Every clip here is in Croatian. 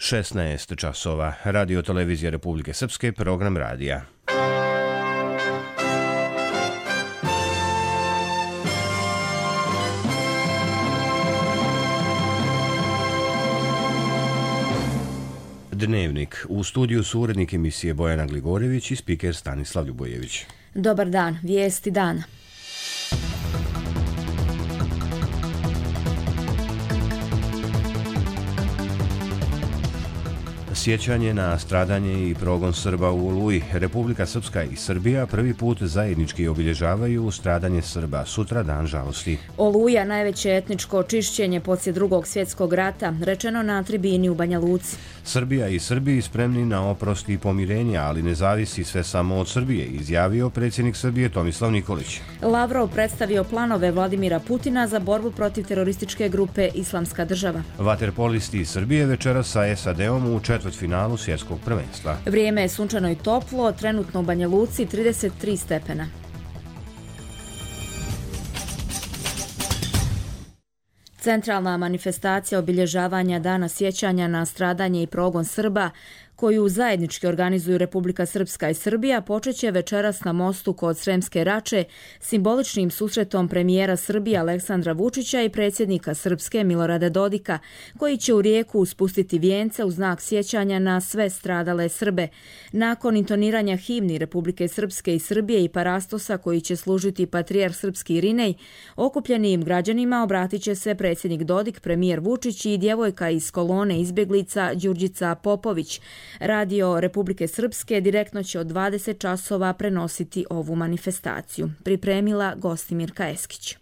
16 časova. Radio televizija Republike Srpske, program radija. Dnevnik. U studiju su urednik emisije Bojana Gligorjević i spiker Stanislav Ljubojević. Dobar dan, vijesti dana. Sjećanje na stradanje i progon Srba u Oluji. Republika Srpska i Srbija prvi put zajednički obilježavaju stradanje Srba. Sutra dan žalosti. Oluja, najveće etničko čišćenje poslije Drugog svjetskog rata, rečeno na tribini u Banja Luci. Srbija i Srbi spremni na oprost i pomirenje, ali ne zavisi sve samo od Srbije, izjavio predsjednik Srbije Tomislav Nikolić. Lavrov predstavio planove Vladimira Putina za borbu protiv terorističke grupe Islamska država. Vaterpolisti iz Srbije večeras sa SAD-om u četvrtfinalu svjetskog prvenstva. Vrijeme je sunčano i toplo, trenutno u Banja Luci 33 stepena. Centralna manifestacija obilježavanja Dana sjećanja na stradanje i progon Srba, koju zajednički organizuju Republika Srpska i Srbija, počeće večeras na mostu kod Sremske Rače simboličnim susretom premijera Srbije Aleksandra Vučića i predsjednika Srpske Milorada Dodika, koji će u rijeku spustiti vijence u znak sjećanja na sve stradale Srbe. Nakon intoniranja himni Republike Srpske i Srbije i parastosa koji će služiti patrijarh srpski Irinej, okupljenim građanima obratit će se predsjednik Dodik, premijer Vučić i djevojka iz kolone izbjeglica Đurđica Popović. Radio Republike Srpske direktno će od 20 časova prenositi ovu manifestaciju. Pripremila Gostimirka Eskić.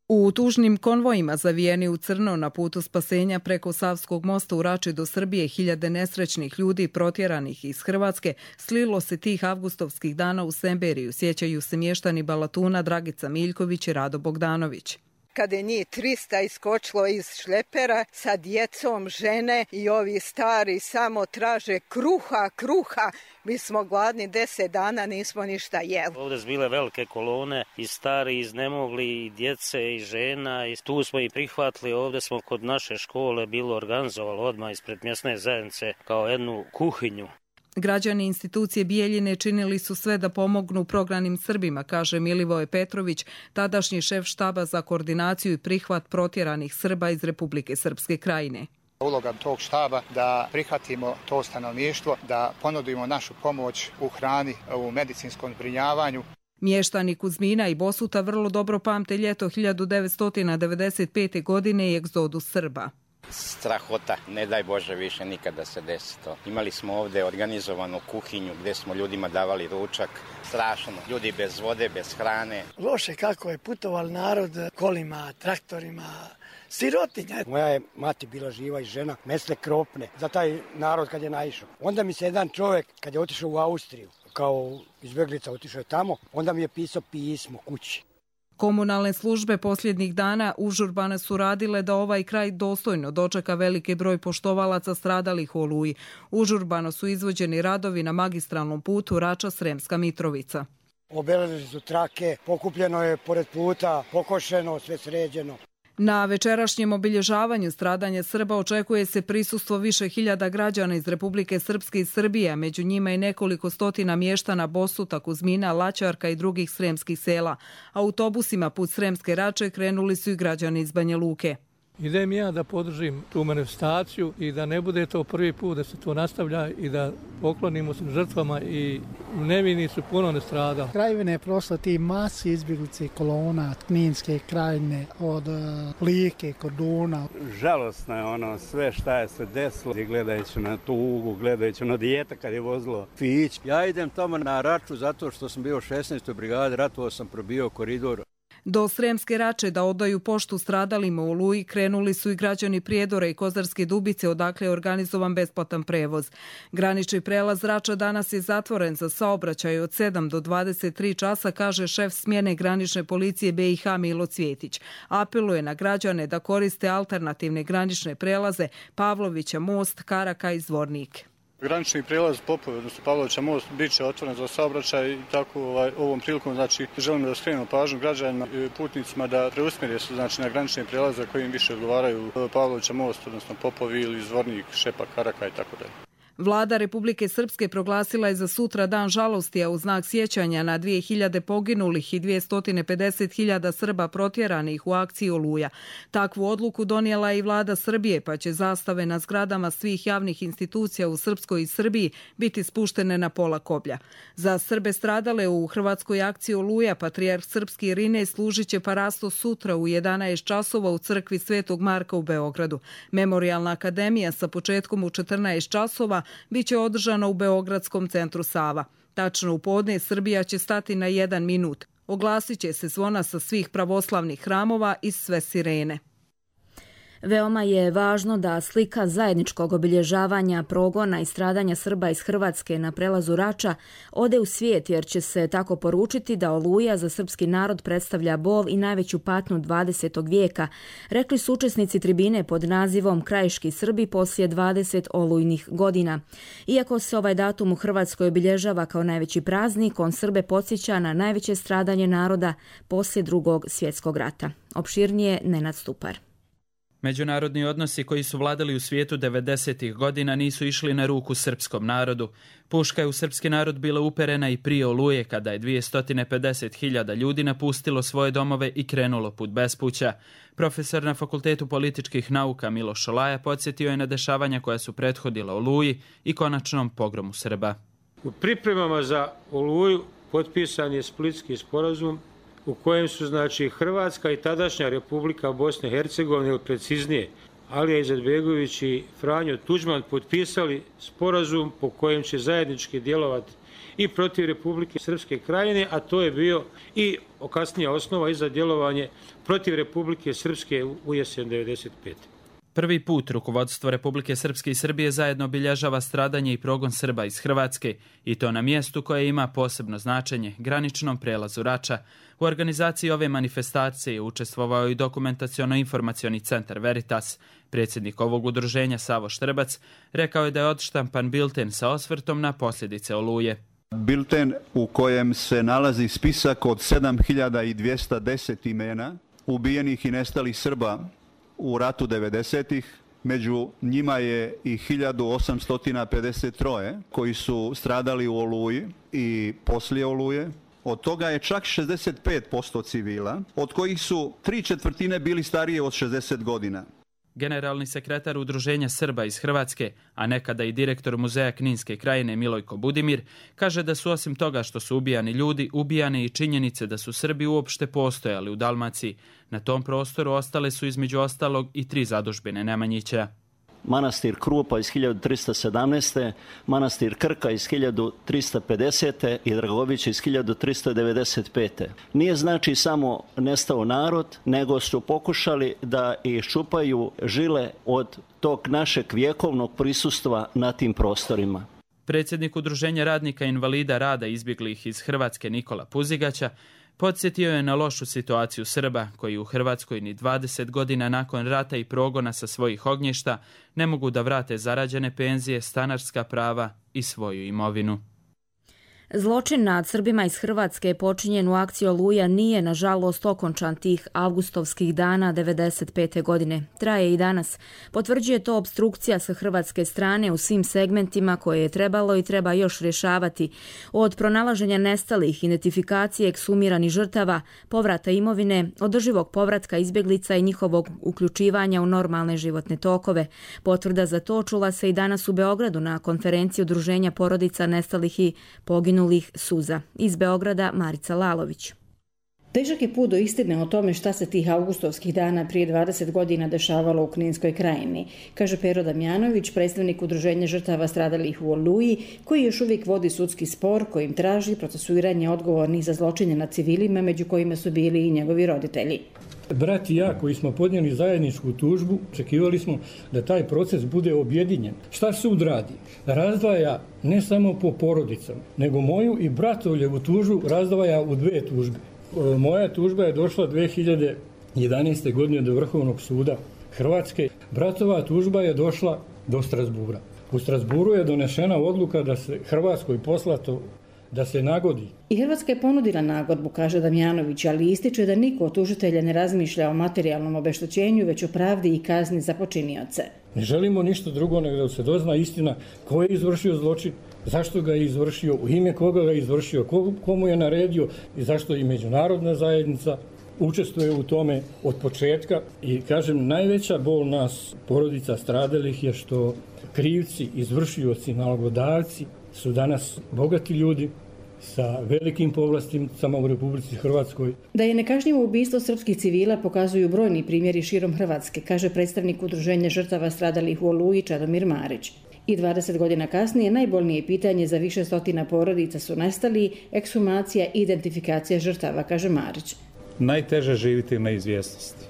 U tužnim konvojima zavijeni u crno na putu spasenja preko Savskog mosta u Rači do Srbije, hiljade nesrećnih ljudi protjeranih iz Hrvatske slilo se tih avgustovskih dana u Semberiju, sjećaju se mještani Balatuna Dragica Miljković i Rado Bogdanović. Kada je njih 300 iskočilo iz šlepera sa djecom, žene i ovi stari samo traže kruha. Mi smo gladni 10 dana, nismo ništa jeli. Ovdje su bile velike kolone i stari, iznemogli, i djece i žena. I tu smo i prihvatili, ovdje smo kod naše škole bilo organizovalo odmah ispred mjesne zajednice kao jednu kuhinju. Građani institucije Bijeljine činili su sve da pomognu prognanim Srbima, kaže Milivoje Petrović, tadašnji šef štaba za koordinaciju i prihvat protjeranih Srba iz Republike Srpske Krajine. Uloga tog štaba da prihvatimo to stanovništvo, da ponudimo našu pomoć u hrani, u medicinskom zbrinjavanju. Mještani Kuzmina i Bosuta vrlo dobro pamte ljeto 1995. godine i egzodus Srba. Strahota, ne daj Bože više nikada se desi to. Imali smo ovdje organizovanu kuhinju gdje smo ljudima davali ručak. Strašno, ljudi bez vode, bez hrane. Loše kako je putoval narod kolima, traktorima, sirotinja. Moja je mati bila živa i žena, mesle kropne za taj narod kad je naišao. Onda mi se jedan čovjek kad je otišao u Austriju, kao izbjeglica otišao je tamo, onda mi je pisao pismo kući. Komunalne službe posljednjih dana užurbano su radile da ovaj kraj dostojno dočeka veliki broj poštovalaca stradalih u Oluji. Užurbano su izvođeni radovi na magistralnom putu Rača-Sremska Mitrovica. Obeležili su trake, pokupljeno je pored puta, pokošeno, sve sređeno. Na večerašnjem obilježavanju stradanja Srba očekuje se prisustvo više hiljada građana iz Republike Srpske i Srbije, a među njima i nekoliko stotina mještana Bosuta, Kuzmina, Laćarka i drugih sremskih sela. Autobusima put Sremske Rače krenuli su i građani iz Banja Luke. Idem ja da podržim tu manifestaciju i da ne bude to prvi put da se to nastavlja i da poklonimo se žrtvama i nevini su puno nastradali. Krajevine je prošla ti masi izbjeglice kolona, Kninske krajine, od Like, Korduna. Žalostno je ono sve šta je se desilo, gledajući na tugu, gledajući na dijete kad je vozilo fić. Ja idem tamo na Raču zato što sam bio u 16. brigadi, ratovao sam, probio koridor. Do Sremske Rače da odaju poštu stradalima u Oluji krenuli su i građani Prijedora i Kozarske Dubice, odakle je organizovan besplatan prevoz. Granični prelaz Rača danas je zatvoren za saobraćaj od 7 do 23 časa, kaže šef smjene granične policije BiH Milo Cvjetić. Apeluje na građane da koriste alternativne granične prelaze Pavlovića most, Karaka i Zvornik. Granični prijelaz Popovi, odnosno Pavlovića most, bit će otvoren za saobraćaj i tako ovom prilikom želimo da skrenemo pažnju građanima i putnicima da preusmjere se na granične prijelaze koji im više odgovaraju Pavlovića most, odnosno Popovi ili Zvornik, Šepak, Karaka i tako dalje. Vlada Republike Srpske proglasila je za sutra dan žalosti, a u znak sjećanja na 2000 poginulih i 250.000 Srba protjeranih u akciji Oluja. Takvu odluku donijela je i vlada Srbije, pa će zastave na zgradama svih javnih institucija u Srpskoj i Srbiji biti spuštene na pola koplja. Za Srbe stradale u hrvatskoj akciji Oluja, patrijarh srpski Irinej služit će parasto sutra u 11 časova u crkvi Svetog Marka u Beogradu. Memorijalna akademija sa početkom u 14 časova biće održana u Beogradskom centru Sava. Tačno u podne Srbija će stati na 1 minut. Oglasit će se zvona sa svih pravoslavnih hramova i sve sirene. Veoma je važno da slika zajedničkog obilježavanja progona i stradanja Srba iz Hrvatske na prelazu Rača ode u svijet, jer će se tako poručiti da Oluja za srpski narod predstavlja bol i najveću patnju 20. vijeka, rekli su učesnici tribine pod nazivom Krajiški Srbi poslije 20 olujnih godina. Iako se ovaj datum u Hrvatskoj obilježava kao najveći praznik, on Srbe podsjeća na najveće stradanje naroda poslije Drugog svjetskog rata. Opširnije Nenad Stupar. Međunarodni odnosi koji su vladali u svijetu 90. godina nisu išli na ruku srpskom narodu. Puška je u srpski narod bila uperena i prije Oluje, kada je 250.000 ljudi napustilo svoje domove i krenulo put bespuća. Profesor na Fakultetu političkih nauka Miloš Šolaja podsjetio je na dešavanja koja su prethodila Oluji i konačnom pogromu Srba. U pripremama za Oluju potpisan je Splitski sporazum u kojem su Hrvatska i tadašnja Republika Bosne i Hercegovine, ili preciznije Alija Izetbegović i Franjo Tuđman, potpisali sporazum po kojem će zajednički djelovati i protiv Republike Srpske Krajine, a to je bio i kasnija osnova i za djelovanje protiv Republike Srpske u jesen 1995. Prvi put rukovodstvo Republike Srpske i Srbije zajedno obilježava stradanje i progon Srba iz Hrvatske, i to na mjestu koje ima posebno značenje, graničnom prelazu Rača. U organizaciji ove manifestacije učestvovao i dokumentaciono-informacioni centar Veritas. Predsjednik ovog udruženja Savo Štrbac rekao je da je odštampan bilten sa osvrtom na posljedice Oluje. Bilten u kojem se nalazi spisak od 7210 imena ubijenih i nestalih Srba u ratu 90-ih, među njima je i 1853 koji su stradali u Oluji i poslije Oluje. Od toga je čak 65% civila, od kojih su 3/4 bili starije od 60 godina. Generalni sekretar Udruženja Srba iz Hrvatske, a nekada i direktor Muzeja Kninske krajine Milojko Budimir, kaže da su osim toga što su ubijani ljudi, ubijane i činjenice da su Srbi uopšte postojali u Dalmaciji. Na tom prostoru ostale su između ostalog i 3 zadužbine Nemanjića. Manastir Krupa iz 1317. Manastir Krka iz 1350. i Dragović iz 1395. Nije samo nestao narod, nego su pokušali da iščupaju žile od tog našeg vjekovnog prisustva na tim prostorima. Predsjednik Udruženja radnika invalida rada izbjeglih iz Hrvatske Nikola Puzigaća podsjetio je na lošu situaciju Srba koji u Hrvatskoj ni 20 godina nakon rata i progona sa svojih ognjišta ne mogu da vrate zarađene penzije, stanarska prava i svoju imovinu. Zločin nad Srbima iz Hrvatske počinjen u akciji Oluja nije, nažalost, okončan tih avgustovskih dana 1995. godine. Traje i danas. Potvrđuje to opstrukcija sa hrvatske strane u svim segmentima koje je trebalo i treba još rješavati. Od pronalaženja nestalih, identifikacije ekshumiranih žrtava, povrata imovine, održivog povratka izbjeglica i njihovog uključivanja u normalne životne tokove. Potvrda za to čula se i danas u Beogradu na konferenciji Udruženja porodica nestalih i poginulih suza. Iz Beograda Marica Lalović. Težak je put do istine o tome šta se tih avgustovskih dana prije 20 godina dešavalo u Kninskoj krajini, kaže Pero Damjanović, predstavnik Udruženja žrtava stradalih u Oluji, koji još uvijek vodi sudski spor kojim traži procesuiranje odgovornih za zločine nad civilima, među kojima su bili i njegovi roditelji. Brat i ja koji smo podnijeli zajedničku tužbu, očekivali smo da taj proces bude objedinjen. Šta sud radi? Razdvaja ne samo po porodicama, nego moju i bratovljevu tužbu razdvaja u 2 tužbe. Moja tužba je došla 2011. godine do Vrhovnog suda Hrvatske. Bratova tužba je došla do Strasbura. U Strasburu je donešena odluka da se Hrvatskoj poslato da se nagodi. I Hrvatska je ponudila nagodbu, kaže Damjanović, ali ističe da niko od tužitelja ne razmišlja o materijalnom obeštećenju, već o pravdi i kazni za počinioce. Ne želimo ništa drugo nego da se dozna istina ko je izvršio zločin, zašto ga je izvršio, u ime koga ga je izvršio, komu je naredio i zašto i međunarodna zajednica učestvuje u tome od početka. I kažem, najveća bol nas, porodica stradalih, je što krivci, izvršioci, nalogodavci su danas bogati ljudi sa velikim povlasticama u Republici Hrvatskoj. Da je nekažnjivo ubistvo srpskih civila pokazuju brojni primjeri širom Hrvatske, kaže predstavnik Udruženja žrtava stradalih u Oluji Čadomir Marić. I 20 godina kasnije najbolnije pitanje za više stotina porodica su nestali, ekshumacija i identifikacija žrtava, kaže Marić. Najteže živiti u neizvjesnosti.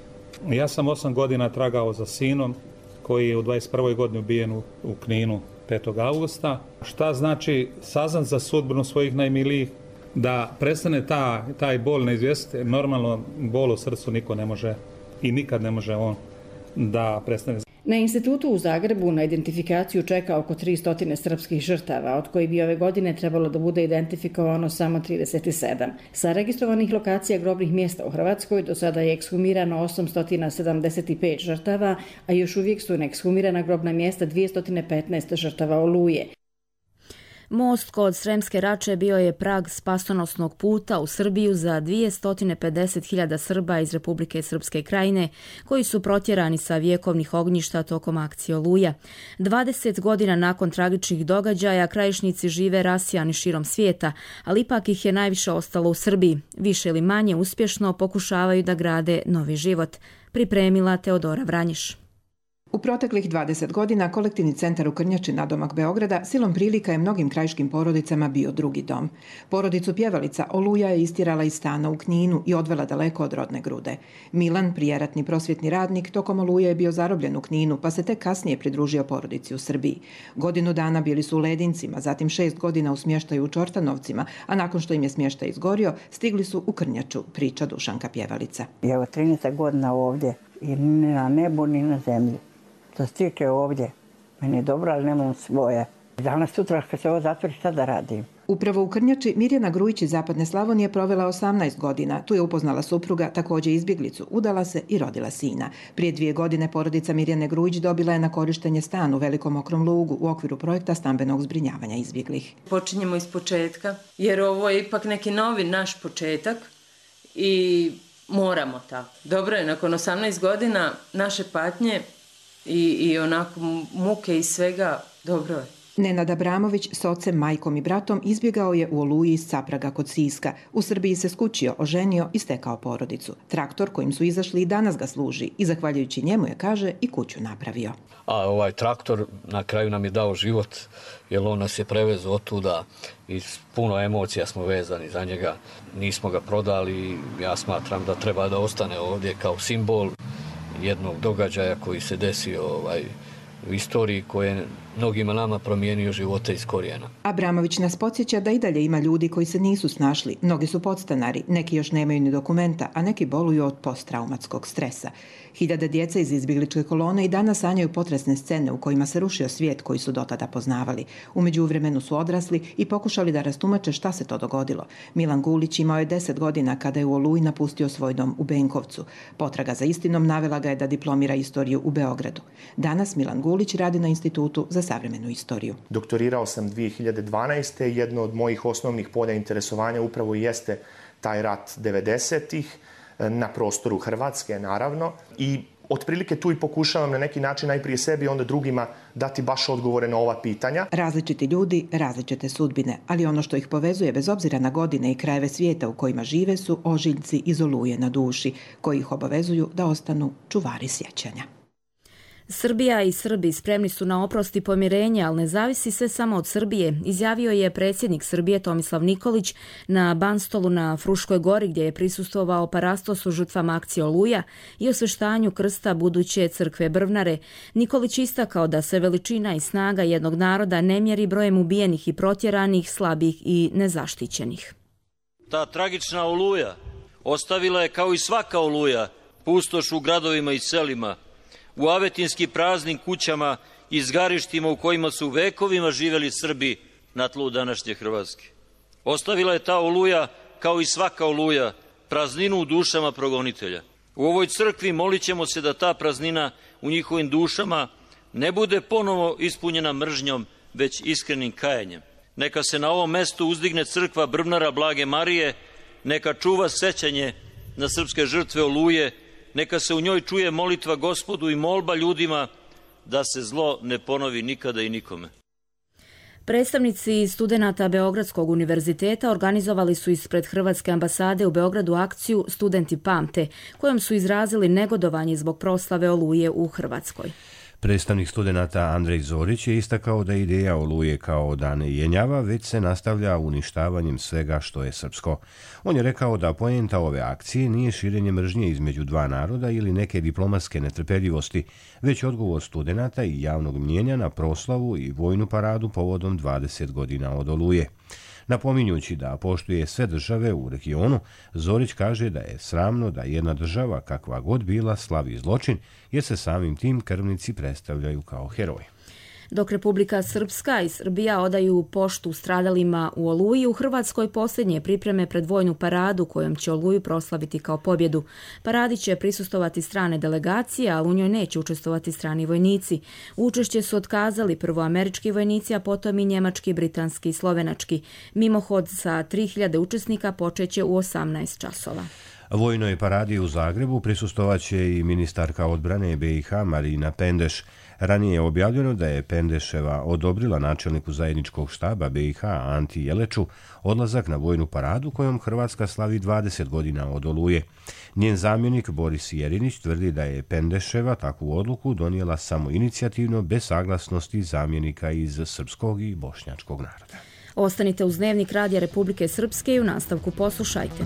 Ja sam 8 godina tragao za sinom koji je u 21. godini ubijen u Kninu 5. augusta. Šta znači saznat za sudbinu svojih najmilijih, da prestane taj bol neizvjesnosti. Normalno bol u srcu niko ne može i nikad ne može on da prestane. Na institutu u Zagrebu na identifikaciju čeka oko 300 srpskih žrtava, od kojih bi ove godine trebalo da bude identifikovano samo 37. Sa registrovanih lokacija grobnih mjesta u Hrvatskoj do sada je ekshumirano 875 žrtava, a još uvijek su neekshumirana grobna mjesta 215 žrtava Oluje. Most kod Sremske Rače bio je prag spasonosnog puta u Srbiju za 250.000 Srba iz Republike Srpske Krajine, koji su protjerani sa vjekovnih ognjišta tokom akcije Oluja. 20 godina nakon tragičnih događaja krajišnici žive rasijani širom svijeta, ali ipak ih je najviše ostalo u Srbiji. Više ili manje uspješno pokušavaju da grade novi život. Pripremila Teodora Vranješ. U proteklih 20 godina kolektivni centar u Krnjači nadomak Beograda silom prilika je mnogim krajiškim porodicama bio drugi dom. Porodicu pjevalica Oluja je istirala iz stana u Kninu i odvela daleko od rodne grude. Milan, prijeratni prosvjetni radnik, tokom Oluje je bio zarobljen u Kninu, pa se tek kasnije pridružio porodici u Srbiji. Godinu dana bili su u Ledincima, zatim 6 godina u smještaju u Čortanovcima, a nakon što im je smještaj izgorio, stigli su u Krnjaču, priča Dušanka Pjevalica. Evo 13 godina ovdje i ni na nebu ni na zemlji. Što se tiče ovdje, meni je dobro, ali nemam svoje. Danas sutra kad se ovo zatvori, šta da radim? Upravo u Krnjači Mirjana Grujić iz Zapadne Slavonije provela 18 godina. Tu je upoznala supruga, također izbjeglicu, udala se i rodila sina. Prije 2 godine porodica Mirjane Grujić dobila je na korištenje stan u Velikom Okrom Lugu u okviru projekta stambenog zbrinjavanja izbjeglih. Počinjemo iz početka, jer ovo je ipak neki novi naš početak i moramo tako. Dobro je, nakon 18 godina naše patnje i onako muke i svega, dobro je. Nenad Abramović s ocem, majkom i bratom izbjegao je u Oluji iz Capraga kod Siska. U Srbiji se skućio, oženio i stekao porodicu. Traktor kojim su izašli i danas ga služi i zahvaljujući njemu je, kaže, i kuću napravio. A ovaj traktor na kraju nam je dao život, jer on nas je prevezao otuda i puno emocija smo vezani za njega. Nismo ga prodali, ja smatram da treba da ostane ovdje kao simbol jednog događaja koji se desio u istoriji koje mnogima nama promijenio živote iz korijena. Abramović nas podsjeća da i dalje ima ljudi koji se nisu snašli. Mnogi su podstanari, neki još nemaju ni dokumenta, a neki boluju od posttraumatskog stresa. Hiljade djece iz izbjegličke kolone i danas sanjaju potresne scene u kojima se rušio svijet koji su dotada poznavali. U međuvremenu su odrasli i pokušali da rastumače šta se to dogodilo. Milan Gulić imao je 10 godina kada je u Oluji napustio svoj dom u Benkovcu. Potraga za istinom navela ga je da diplomira istoriju u Beogradu. Danas Milan Gulić radi na Institutu za savremenu istoriju. Doktorirao sam 2012. Jedno od mojih osnovnih polja interesovanja upravo jeste taj rat 90-ih na prostoru Hrvatske, naravno. I otprilike tu i pokušavam na neki način najprije sebi, onda drugima dati baš odgovore na ova pitanja. Različiti ljudi, različite sudbine, ali ono što ih povezuje bez obzira na godine i krajeve svijeta u kojima žive su ožiljci iz Oluje na duši, koji ih obavezuju da ostanu čuvari sjećanja. Srbija i Srbi spremni su na oprost i pomirenje, ali ne zavisi sve samo od Srbije, izjavio je predsjednik Srbije Tomislav Nikolić na Banstolu na Fruškoj gori, gdje je prisustvovao parastosu žrtvama akcije Oluja i osveštanju krsta buduće crkve Brvnare. Nikolić istakao da se veličina i snaga jednog naroda ne mjeri brojem ubijenih i protjeranih, slabih i nezaštićenih. Ta tragična Oluja ostavila je, kao i svaka Oluja, pustoš u gradovima i selima, u avetinski praznim kućama izgarištima u kojima su vekovima živjeli Srbi na tlu današnje Hrvatske. Ostavila je ta oluja, kao i svaka oluja, prazninu u dušama progonitelja. U ovoj crkvi molit ćemo se da ta praznina u njihovim dušama ne bude ponovo ispunjena mržnjom, već iskrenim kajanjem. Neka se na ovom mestu uzdigne crkva Brvnara Blage Marije, neka čuva sećanje na srpske žrtve Oluje, neka se u njoj čuje molitva Gospodu i molba ljudima da se zlo ne ponovi nikada i nikome. Predstavnici studenata Beogradskog univerziteta organizovali su ispred Hrvatske ambasade u Beogradu akciju Studenti pamte, kojom su izrazili negodovanje zbog proslave Oluje u Hrvatskoj. Predstavnik studenata Andrej Zorić je istakao da ideja Oluje kao da ne jenjava, već se nastavlja uništavanjem svega što je srpsko. On je rekao da poenta ove akcije nije širenje mržnje između dva naroda ili neke diplomatske netrpeljivosti, već odgovor studenata i javnog mnjenja na proslavu i vojnu paradu povodom 20 godina od Oluje. Napominjući da poštuje sve države u regionu, Zorić kaže da je sramno da jedna država, kakva god bila, slavi zločin, jer se samim tim krvnici predstavljaju kao heroji. Dok Republika Srpska i Srbija odaju poštu stradalima u Oluji, u Hrvatskoj posljednje pripreme pred vojnu paradu kojom će Oluju proslaviti kao pobjedu. Paradi će prisustovati strane delegacije, ali u njoj neće učestvovati strani vojnici. Učešće su otkazali prvo američki vojnici, a potom i njemački, britanski i slovenački. Mimohod sa 3000 učesnika počeće u 18 časova. Vojnoj paradi u Zagrebu prisustovaće i ministarka odbrane BiH Marina Pendeš. Ranije je objavljeno da je Pendeševa odobrila načelniku zajedničkog štaba BiH Anti Jeleču odlazak na vojnu paradu kojom Hrvatska slavi 20 godina od Oluje. Njen zamjenik Boris Jerinić tvrdi da je Pendeševa takvu odluku donijela samoinicijativno bez saglasnosti zamjenika iz srpskog i bošnjačkog naroda. Ostanite uz Dnevnik Radija Republike Srpske i u nastavku poslušajte.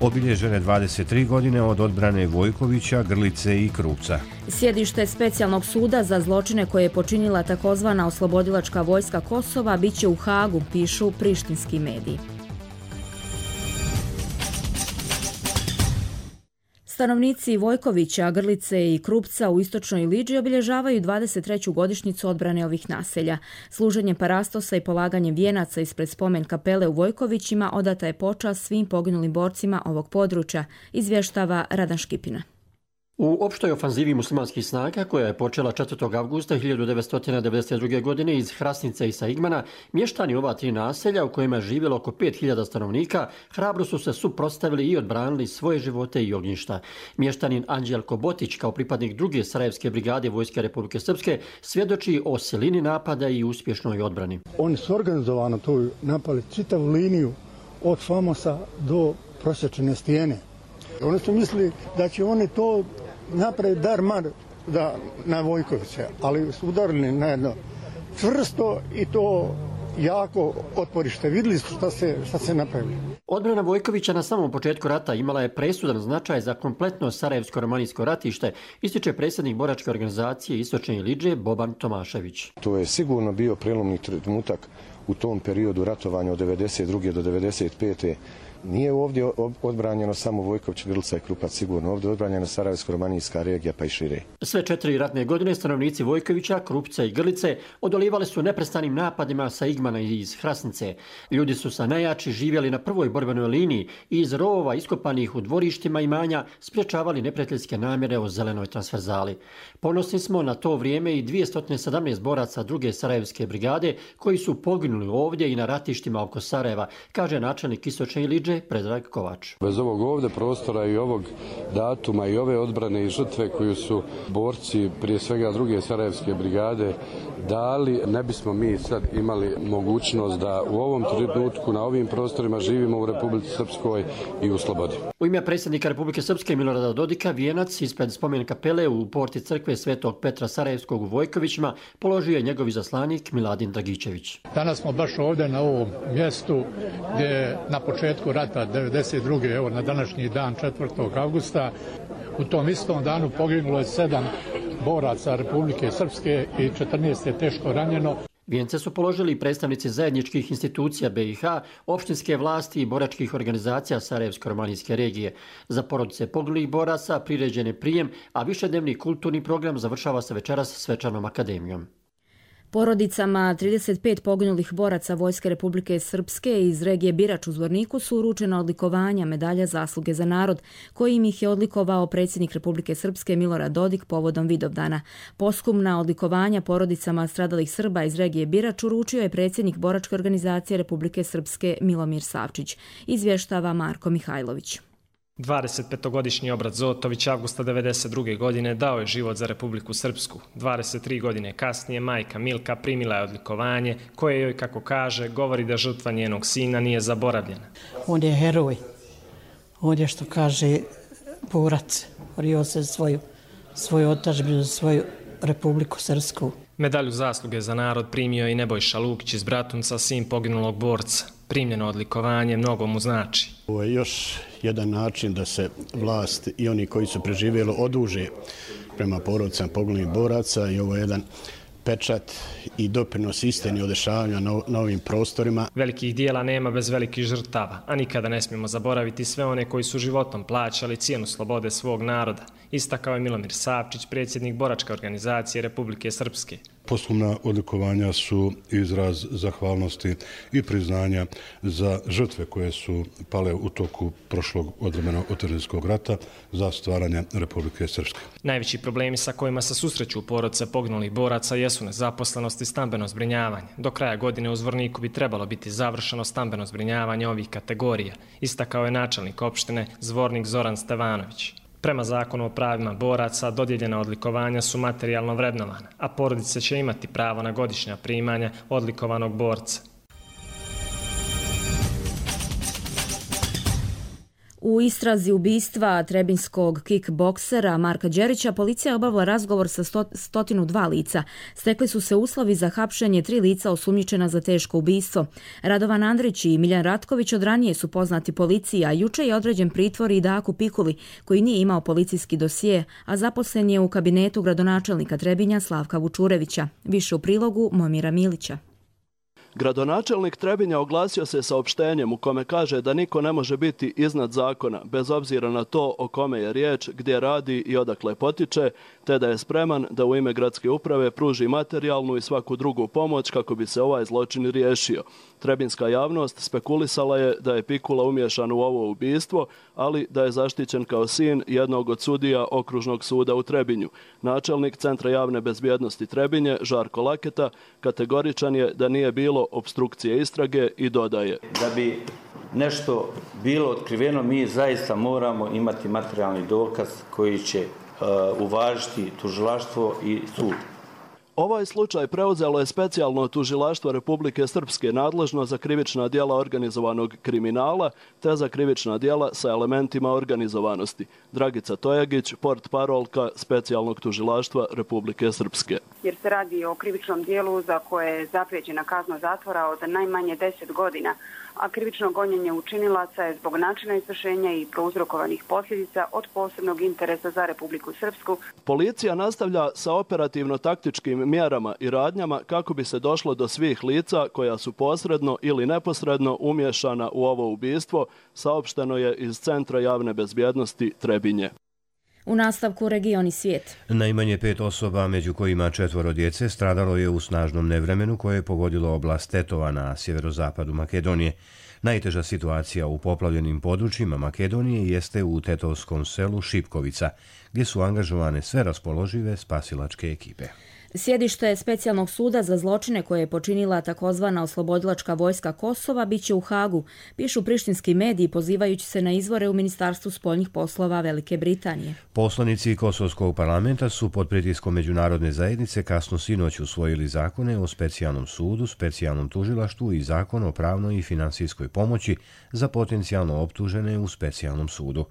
Obilježene 23 godine od odbrane Vojkovića, Grlice i Krupca. Sjedište specijalnog suda za zločine koje je počinila takozvana oslobodilačka vojska Kosova biće u Hagu, pišu prištinski mediji. Stanovnici Vojkovića, Grlice i Krupca u istočnoj Liđi obilježavaju 23. godišnjicu odbrane ovih naselja. Služenjem parastosa i polaganjem vijenaca ispred spomen kapele u Vojkovićima odata je počast svim poginulim borcima ovog područja, izvještava Radan Škipina. U opštoj ofanzivi muslimanskih snaga, koja je počela 4. avgusta 1992. godine iz Hrasnice i Saigmana, mještani ova tri naselja u kojima je živjelo oko 5000 stanovnika, hrabro su se suprotstavili i odbranili svoje živote i ognjišta. Mještanin Anđelko Botić, kao pripadnik druge Sarajevske brigade Vojske Republike Srpske, svjedoči o silini napada i uspješnoj odbrani. Oni su organizovano tu napali čitavu liniju od Famosa do prosječne stijene. Oni su mislili da će oni to napraviti dar-mar na Vojkoviće, ali su udarili na jedno čvrsto i to jako otporište. Vidjeli su šta se napravili. Odbrana Vojkovića na samom početku rata imala je presudan značaj za kompletno Sarajevsko-romanijsko ratište, ističe predsjednik boračke organizacije Istočne Liđe Boban Tomašević. To je sigurno bio prelomni trenutak u tom periodu ratovanja od 92. do 95. Nije ovdje odbranjeno samo Vojković, Grlica i Krupac, sigurno. Ovdje je odbranjena Sarajevsko-romanijska regija pa i šire. Sve 4 ratne godine stanovnici Vojkovića, Krupca i Grlice odolivali su neprestanim napadima sa Igmana i iz Hrasnice. Ljudi su sa najjači živjeli na prvoj borbenoj liniji i iz rovova iskopanih u dvorištima imanja sprječavali neprijateljske namjere o zelenoj transverzali. Ponosni smo na to vrijeme i 217 boraca druge Sarajevske brigade koji su poginuli ovdje i na ratištima oko Sarajeva, kaže načelnik Istočne Liđe Predrag Kovač. Bez ovog ovdje prostora i ovog datuma i ove odbrane i žrtve koju su borci prije svega druge Sarajevske brigade dali, ne bismo mi sad imali mogućnost da u ovom trenutku na ovim prostorima živimo u Republici Srpskoj i u slobodi. U ime predsjednika Republike Srpske Milorada Dodika vijenac ispred spomen kapele u porti crkve Svetog Petra Sarajevskog u Vojkovićima položio je njegov izaslanik Miladin Dragičević. Danas smo baš ovdje na ovom mjestu gdje na početku rata 92. evo na današnji dan 4. avgusta u tom istom danu poginulo je 7 boraca Republike Srpske i 14 je teško ranjeno. Vijence su položili predstavnici zajedničkih institucija BiH, opštinske vlasti i boračkih organizacija Sarajevsko-romanijske regije. Za porodice poginulih boraca priređen je prijem, a višednevni kulturni program završava se večeras svečanom akademijom. Porodicama 35 poginulih boraca Vojske Republike Srpske iz regije Birač u Zvorniku su uručena odlikovanja medalja zasluge za narod, kojim ih je odlikovao predsjednik Republike Srpske Milorad Dodik povodom Vidovdana. Posthumna odlikovanja porodicama stradalih Srba iz regije Birač uručio je predsjednik Boračke organizacije Republike Srpske Milomir Savčić, izvještava Marko Mihajlović. 25-godišnji Obrat Zotović avgusta 1992. godine dao je život za Republiku Srpsku. 23 godine kasnije majka Milka primila je odlikovanje koje joj, kako kaže, govori da žrtva njenog sina nije zaboravljena. On je heroj. On je, što kaže, borac. Borio se svoju otadžbinu, za svoju Republiku Srpsku. Medalju zasluge za narod primio i Nebojša Lukić iz Bratunca, sin poginulog borca. Primljeno odlikovanje mnogo mu znači. Ovo je još jedan način da se vlast i oni koji su preživjeli oduže prema porodicama poginulih boraca i ovo je jedan pečat i doprinos istini o dešavanjima na ovim prostorima. Velikih dijela nema bez velikih žrtava, a nikada ne smijemo zaboraviti sve one koji su životom plaćali cijenu slobode svog naroda, istakao je Milomir Savčić, predsjednik Boračke organizacije Republike Srpske. Posthumna odlikovanja su izraz zahvalnosti i priznanja za žrtve koje su pale u toku prošlog odvremena otadžbinskog rata za stvaranje Republike Srpske. Najveći problemi sa kojima se susreću porodice poginulih boraca jesu nezaposlenost i stambeno zbrinjavanje. Do kraja godine u Zvorniku bi trebalo biti završeno stambeno zbrinjavanje ovih kategorija, istakao je načelnik opštine Zvornik Zoran Stevanović. Prema zakonu o pravima boraca, dodijeljena odlikovanja su materijalno vrednovana, a porodice će imati pravo na godišnja primanja odlikovanog borca. U istrazi ubistva trebinskog kickboksera Marka Đerića policija je obavila razgovor sa 102 lica. Stekli su se uslovi za hapšenje 3 lica osumnjičena za teško ubistvo. Radovan Andrić i Miljan Ratković od ranije su poznati policiji, a juče je određen pritvor i Daku Pikuli, koji nije imao policijski dosije, a zaposlen je u kabinetu gradonačelnika Trebinja Slavka Vučurevića. Više u prilogu Momira Milića. Gradonačelnik Trebinja oglasio se saopštenjem u kome kaže da niko ne može biti iznad zakona, bez obzira na to o kome je riječ, gdje radi i odakle potiče, te da je spreman da u ime gradske uprave pruži materijalnu i svaku drugu pomoć kako bi se ovaj zločin riješio. Trebinska javnost spekulisala je da je Pikula umiješan u ovo ubistvo, ali da je zaštićen kao sin jednog od sudija Okružnog suda u Trebinju. Načelnik Centra javne bezbjednosti Trebinje, Žarko Laketa, kategoričan je da nije bilo opstrukcije istrage i dodaje: da bi nešto bilo otkriveno, mi zaista moramo imati materijalni dokaz koji će uvažiti tužilaštvo i sud. Ovaj slučaj preuzelo je specijalno tužilaštvo Republike Srpske nadležno za krivična djela organizovanog kriminala te za krivična djela sa elementima organizovanosti. Dragica Tojagić, portparolka specijalnog tužilaštva Republike Srpske. Jer se radi o krivičnom dijelu za koje je zaprijeđena kazna zatvora od najmanje 10 godina, a krivično gonjenje učinilaca je zbog načina izvršenja i prouzrokovanih posljedica od posebnog interesa za Republiku Srpsku. Policija nastavlja sa operativno-taktičkim mjerama i radnjama kako bi se došlo do svih lica koja su posredno ili neposredno umiješana u ovo ubistvo, saopšteno je iz Centra javne bezbjednosti Trebinje. U nastavku region i svijet. Najmanje 5 osoba, među kojima 4 djece, stradalo je u snažnom nevremenu koje je pogodilo oblast Tetova na sjeverozapadu Makedonije. Najteža situacija u poplavljenim područjima Makedonije jeste u tetovskom selu Šipkovica, gdje su angažovane sve raspoložive spasilačke ekipe. Sjedište specijalnog suda za zločine koje je počinila takozvana oslobodilačka vojska Kosova biće u Hagu, pišu prištinski mediji pozivajući se na izvore u Ministarstvu spoljnih poslova Velike Britanije. Poslanici Kosovskog parlamenta su pod pritiskom međunarodne zajednice kasno sinoć usvojili zakone o specijalnom sudu, specijalnom tužilaštvu i zakon o pravnoj i finansijskoj pomoći za potencijalno optužene u specijalnom sudu.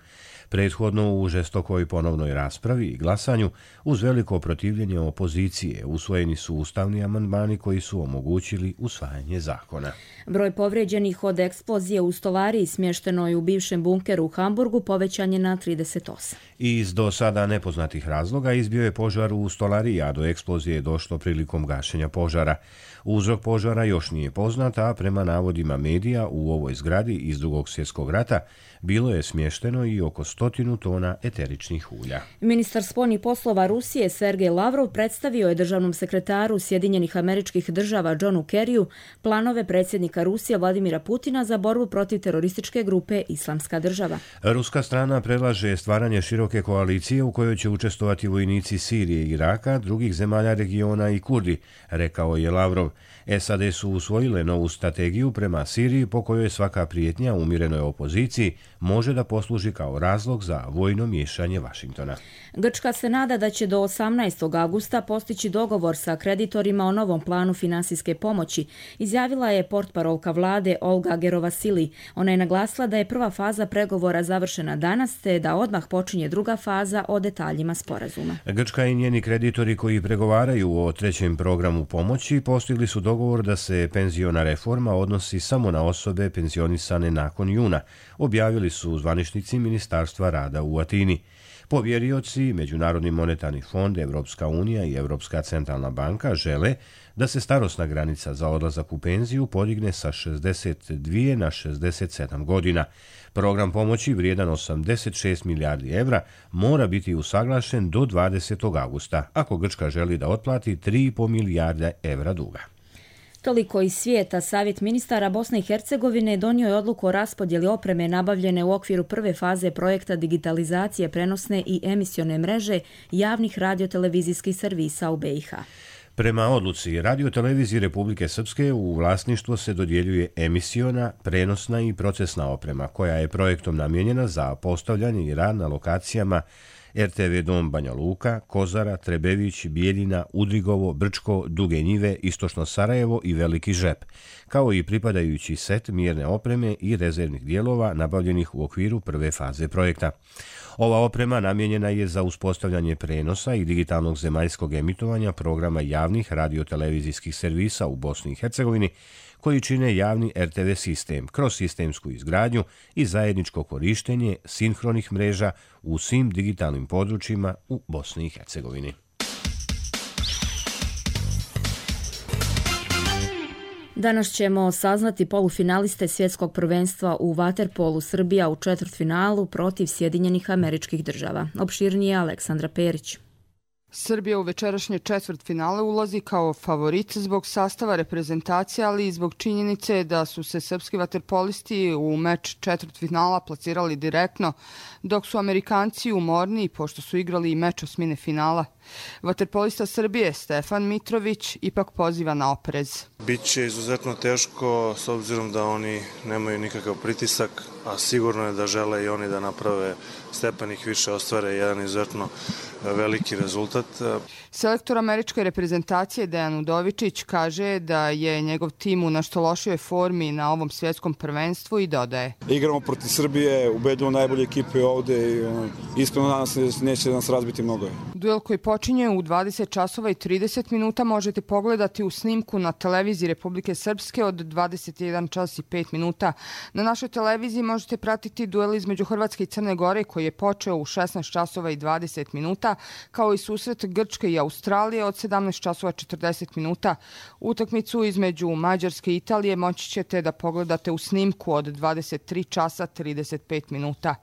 Prethodno u žestokoj ponovnoj raspravi i glasanju, uz veliko protivljenje opozicije opozicije. Usvojeni su ustavni amandmani koji su omogućili usvajanje zakona. Broj povrijeđenih od eksplozije u stolariji smještenoj u bivšem bunkeru u Hamburgu povećan je na 38. Iz do sada nepoznatih razloga izbio je požar u stolariji, a do eksplozije je došlo prilikom gašenja požara. Uzrok požara još nije poznat, a prema navodima medija u ovoj zgradi iz Drugog svjetskog rata bilo je smješteno i oko 100 tona eteričnih ulja. Ministar spoljnih poslova Rusije Sergej Lavrov predstavio je državnom sekretaru Sjedinjenih Američkih Država Johnu Kerryu planove predsjednika Rusije Vladimira Putina za borbu protiv terorističke grupe Islamska država. Ruska strana predlaže stvaranje široke koalicije u kojoj će učestvovati vojnici Sirije i Iraka, drugih zemalja regiona i Kurdi, rekao je Lavrov. SAD su usvojile novu strategiju prema Siriji po kojoj svaka prijetnja umirenoj opoziciji može da posluži kao razlog za vojno miješanje Vašingtona. Grčka se nada da će do 18. augusta postići dogovor sa kreditorima o novom planu finansijske pomoći, izjavila je portparolka vlade Olga Gerovasili. Ona je naglasila da je prva faza pregovora završena danas, te da odmah počinje druga faza o detaljima sporazuma. Grčka i njeni kreditori koji pregovaraju o trećem programu pomoći postigli su dogovor da se penziona reforma odnosi samo na osobe penzionisane nakon juna, objavili su zvaničnici Ministarstva rada u Atini. Povjerioci, Međunarodni monetarni fond, Evropska unija i Evropska centralna banka žele da se starosna granica za odlazak u penziju podigne sa 62 na 67 godina. Program pomoći vrijedan 86 milijardi evra mora biti usaglašen do 20. augusta, ako Grčka želi da otplati 3,5 milijarde evra duga. Toliko iz svijeta. Savjet ministara Bosne i Hercegovine donio je odluku o raspodjeli opreme nabavljene u okviru prve faze projekta digitalizacije prenosne i emisione mreže javnih radiotelevizijskih servisa u BiH. Prema odluci Radiotelevizije Republike Srpske u vlasništvo se dodjeljuje emisiona, prenosna i procesna oprema koja je projektom namijenjena za postavljanje i rad na lokacijama RTV Dom Banja Luka, Kozara, Trebević, Bijeljina, Udrigovo, Brčko, Duge Njive, Istočno Sarajevo i Veliki Žep, kao i pripadajući set mjerne opreme i rezervnih dijelova nabavljenih u okviru prve faze projekta. Ova oprema namijenjena je za uspostavljanje prenosa i digitalnog zemaljskog emitovanja programa javnih radiotelevizijskih servisa u Bosni i Hercegovini, koji čine javni RTV sistem kroz sistemsku izgradnju i zajedničko korištenje sinhronih mreža u svim digitalnim područjima u Bosni i Hercegovini. Danas ćemo saznati polufinaliste svjetskog prvenstva u vaterpolu. Srbija u četvrtfinalu protiv Sjedinjenih Američkih Država. Opširnije Aleksandra Perić. Srbija u večerašnje četvrtfinale ulazi kao favorit zbog sastava reprezentacije, ali i zbog činjenice da su se srpski vaterpolisti u meč četvrtfinala plasirali direktno, dok su Amerikanci umorni pošto su igrali i meč osmine finala. Vaterpolista Srbije Stefan Mitrović ipak poziva na oprez. Biće izuzetno teško s obzirom da oni nemaju nikakav pritisak, a sigurno je da žele i oni da naprave stepenih više, ostvare jedan izuzetno veliki rezultat. Selektor američke reprezentacije Dejan Udovičić kaže da je njegov tim u nešto lošijoj formi na ovom svjetskom prvenstvu i dodaje. Igramo protiv Srbije, ubedimo najbolje ekipe ovde i iskreno nadam se da neće nas razbiti mnogo. Duel koji počinje u 20 časova i 30 minuta možete pogledati u snimku na televiziji Republike Srpske od 21 čas i 5 minuta. Na našoj televiziji možete pratiti duel između Hrvatske i Crne Gore koji je počeo u 16 časova i 20 minuta, kao i susret Grčke i Australije od 17 časova 40 minuta. Utakmicu između Mađarske i Italije moći ćete da pogledate u snimku od 23 časa 35 minuta.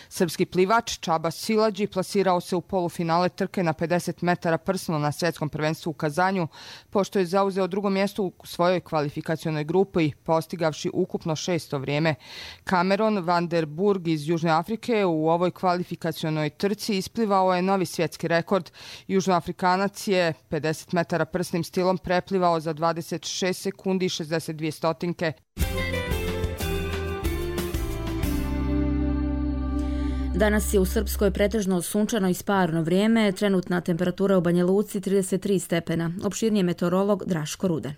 Srpski plivač Čaba Silađi plasirao se u polufinale trke na 50 metara prsno na svjetskom prvenstvu u Kazanju, pošto je zauzeo drugo mjesto u svojoj kvalifikacionoj grupi, postigavši ukupno 6. vrijeme. Cameron van der Burg iz Južne Afrike u ovoj kvalifikacionoj trci isplivao je novi svjetski rekord. Južnoafrikanac je 50 metara prsnim stilom preplivao za 26 sekundi i 62 stotinke. Danas je u Srpskoj pretežno sunčano i sparno vrijeme, trenutna temperatura u Banja Luci 33 stepena. Opširnije meteorolog Draško Rude.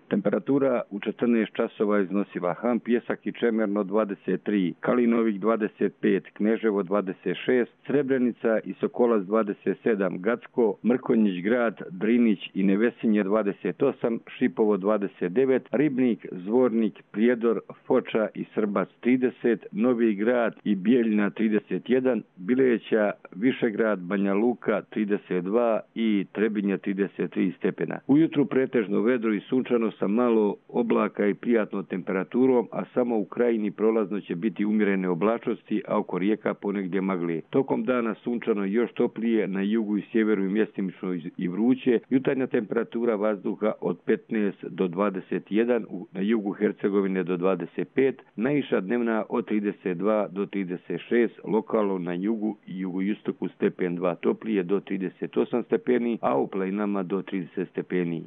Temperatura u 14 časova iznosila Han, Pjesak i Čemerno 23, Kalinovik 25, Kneževo 26, Srebrenica i Sokolac 27, Gacko, Mrkonjić Grad, Drinić i Nevesinje 28, Šipovo 29, Ribnik, Zvornik, Prijedor, Foča i Srbac 30, Novi Grad i Bijeljina 31, Bileća, Višegrad, Banja Luka 32 i Trebinja 33 stepena. Ujutru pretežno vedro i sunčano sa malo oblaka i prijatnom temperaturom, a samo u krajini prolazno će biti umjerene oblačnosti, a oko rijeka ponegdje magle. Tokom dana sunčano i još toplije, na jugu i sjeveru i mjestimično i vruće, jutarnja temperatura vazduha od 15 do 21, na jugu Hercegovine do 25, najviša dnevna od 32 do 36, lokalno na jugu i jugoistoku stepen 2 toplije do 38 stepeni, a u planinama do 30 stepeni.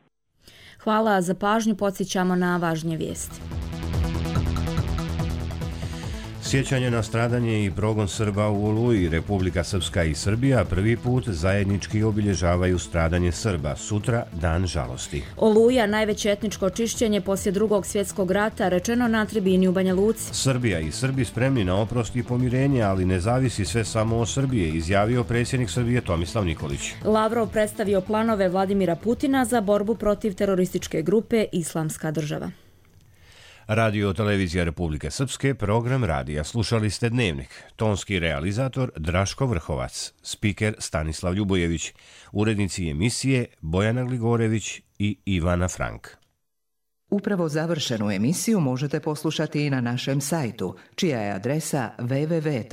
Hvala za pažnju, podsjećamo na važnije vijesti. Sjećanje na stradanje i progon Srba u Oluji, Republika Srpska i Srbija prvi put zajednički obilježavaju stradanje Srba. Sutra dan žalosti. Oluja, najveće etničko čišćenje poslije Drugog svjetskog rata, rečeno na tribini u Banja Luci. Srbija i Srbi spremni na oprost i pomirenje, ali ne zavisi sve samo od Srbije, izjavio predsjednik Srbije Tomislav Nikolić. Lavrov predstavio planove Vladimira Putina za borbu protiv terorističke grupe Islamska država. Radio televizija Republike Srpske, program radija. Slušali ste Dnevnik. Tonski realizator Draško Vrhovac, spiker Stanislav Ljubojević, urednici emisije Bojana Gligorević i Ivana Frank. Upravo završenu emisiju možete poslušati i na našem sajtu, čija je adresa www.rtrs.tv.